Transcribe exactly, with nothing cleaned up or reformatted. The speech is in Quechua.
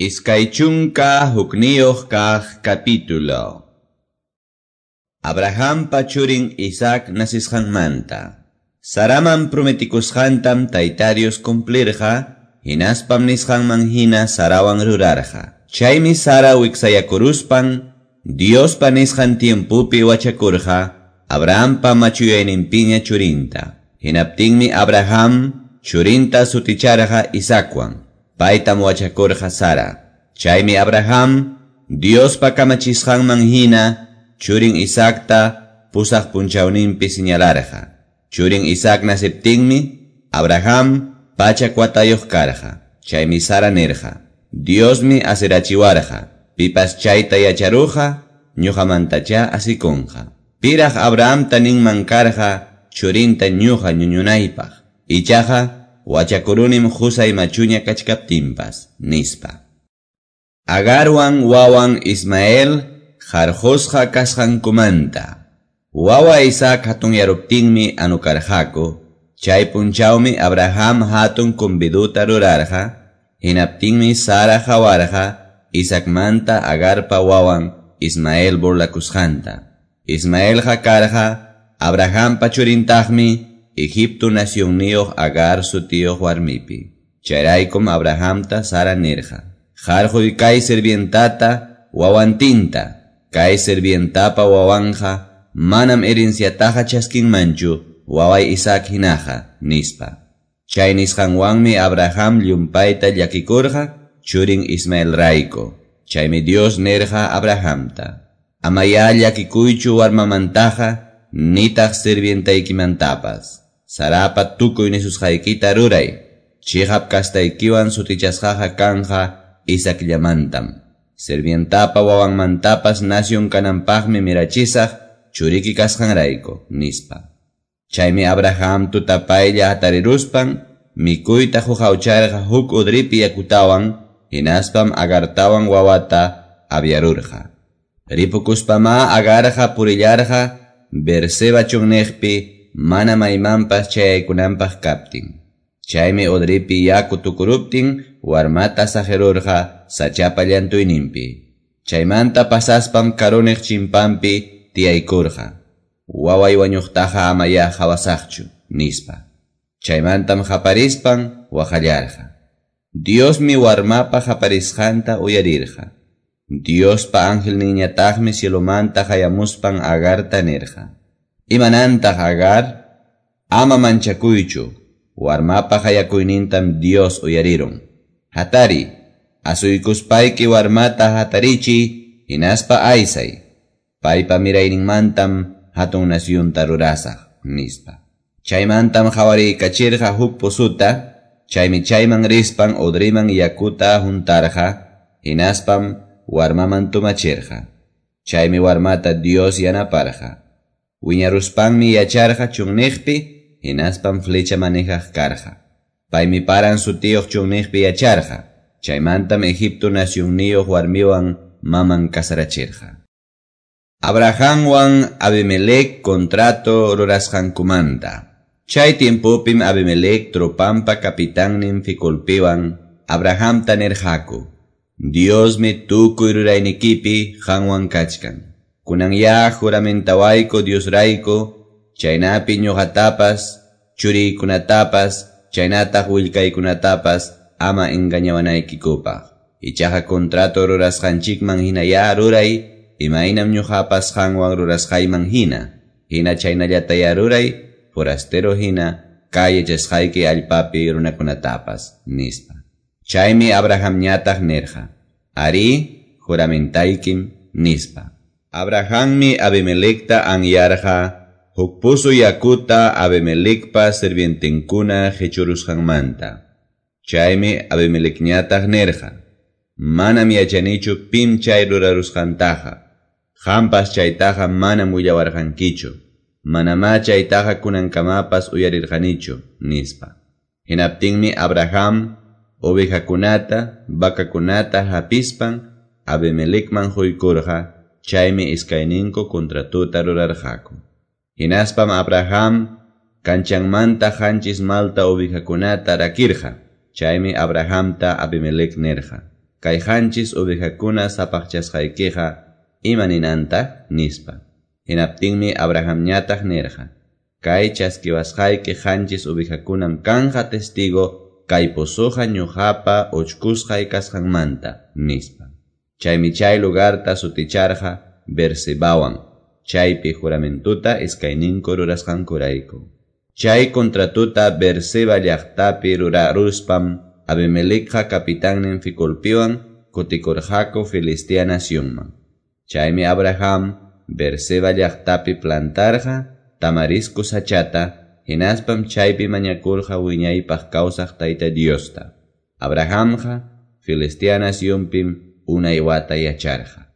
Iskay chunka hukniyuq kaq capítulo. Abrahampa churin Isaac nasisqanmanta. Saraman prometikusqantam Tayta Dios cumplirqa, hinaspam nisqanman hina Sarawan rurarqa. Chaymi Sara wiksayakuruspan, Diospa nisqan tiempupi wachakurqa, Abrahampa machuyayninpiña churinta. Hinaptinmi Abraham churinta suticharqa Isaacwan. Paytam wachakurqa Sara. Chaymi Abraham Diospa kamachisqanman hina churin Isaacta pusaq punchawninpi señalarqa. Churin Isaac nasiptinmi Abraham pachak watayuq karqa. Chaymi Sara nirqa: Diosmi asirachiwarqa. Pipas chayta yacharuqa ñuqamantacha asikunqa. Piraq Abrahamta ninman karqa churinta ñuqa ñuñunaypaq. Ichaqa wachakurunim qusay machuña kachkaptinpas, nispa. Agarwan wawan Ismael qarqusqa kasqankumanta. Wawa Isaac hatunyaruptinmi anukarqaku. Chay punchawmi Abraham hatun conviduta rurarqa. Hinaptinmi Sara qawarqa Isaacmanta Agarpa wawan Ismael burlakusqanta. Ismaelqa karqa Abrahampa churintaqmi Egipto nacionniyuq Agar sutiyuq warmipi. Chayraykum Abrahamta Sara nirqa: Qarquy kay sirvientata wawantinta. Kay sirvientapa wawanja manam herenciataqa chaskinmanchu waway Isaac hinaqa, nispa. Chay nisqanwanmi Abraham llumpayta llakikurqa churin Ismael rayku. Chaymi Dios nirqa Abrahamta: Amaya llakikuychu warmamantaqa nitaq sirvientaykimantapas. Sarapa tukuy nisusqaykita ruray. Chiqap kastaykiwan sutichasqaqa kanja Isaacllamantam. Sirvientapa wawanmantapas nación kananpaqmi mirachisaq churiki kasqanrayku, nispa. Chaymi Abraham tutapaylla hatariruspan mikuyta huqawcharqa huk udripi yakutawan, hinaspam Agartawan wawata aviarurqa. Ripukuspama Agarqa purillarqa Beerseba chunniqpi mana maymanpas chayaykunanpaq kaptin. Chaymi udripi yaku tukuruptin warmata saqirurqa sachapa llantuyninpi. Chaymanta pasaspam karuniq chimpanpi tiyaykurqa. Waway wañuqtaqa amaya qhawasaqchu, nispa. Chaymantam qaparispan waqallarqa. Diosmi warmapa qaparisqanta uyarirqa. Diospa angelninñataqmi cielomanta hayamuspan Agarta nirqa: Imanantaq Agar? Ama manchakuychu, warmapa hayakuynintam Dios uyarirun. Hatari, asuykuspayki warmata hatarichi, hinaspa aysay. Paypa mirayninmantam hatun nasyunta rurasaq, nispa. Chaymantam qhawarikachirqa huk pozuta, chaymi chayman rispan udriman yakuta huntarqa, hinaspam warmaman tumachirqa. Chaymi warmata Dios yanaparqa. Wiñaruspanmi yacharqa chunniqpi, hinaspam flecha manejaq karqa. Paymi Paran sutiyuq chunniqpi yacharqa. Chaymantam Egipto nacionniyuq warmiwan maman kasarachirqa. Abrahamwan Abimelec contrato rurasqankumanta. Chay tiempopim Abimelec tropampa capitannin Ficolpiwan Abrahamta nirqaku: Diosmi tukuy ruraynikipi qanwan kachkan. Kunan ya juramentawayku Diosrayku, chaynapi ñuqatapas, churiykunatapas, chaynataq willkaykunatapas ama engañawanaykikupaq. Ichaqa contrato rurasqanchikman hina ya ruray, imaynam ñuqapas qanwan rurasqayman hina. Hina chaynallataya ruray, forastero hina, kay yachasqayki allpapi runakunatapas, nispa. Chaymi Abrahamñataq nirqa: Ari, juramentaykim, nispa. Abrahammi Abimelecta anyarqa huk puzu yakuta Abimelecpa sirvientenkuna qichurusqanmanta. Chaymi Abimelecñataq nirqa: Manam yachanichu pim chay rurarusqantaqa. Qampas chaytaqa manam willawarqankichu. Manamá chaytaqa kunankamapas uyarirqanichu, nispa. Hinaptinmi Abraham ovejakunata, vacakunata hapispan Abimelecman huykurqa, chaymi iskayninku contratuta rurarqaku. Hinaspam Abraham kanchanmanta qanchis malta ovejakunata rakirqa, chaymi Abrahamta Abimelec nirqa: Kay qanchis ovejakuna sapaqchasqaykiqa ima ninanta? Nispa. Hinaptinmi Abrahamñataq nirqa: Kay chaskiwasqayki qanchis ovejakunam kanqa testigo kay pozoqa ñuqapa uchkusqay kasqanmanta, nispa. Chaymi chay lugarta suticharqa Beersebawan, chaypi juramentuta iskayninku rurasqankurayku. Chay contratuta Beerseba llaqtapi ruraruspam Abimelecqa capitannin Ficolpiwan kutikurqaku Filistea nacionman. Chaymi Abraham Beerseba llaqtapi plantarqa tamarisco sachata, hinaspam chaypi mañakurqa wiñaypaq kawsaq Tayta Diosta. Abrahamqa Filistea nacionpim unay wata yacharqa.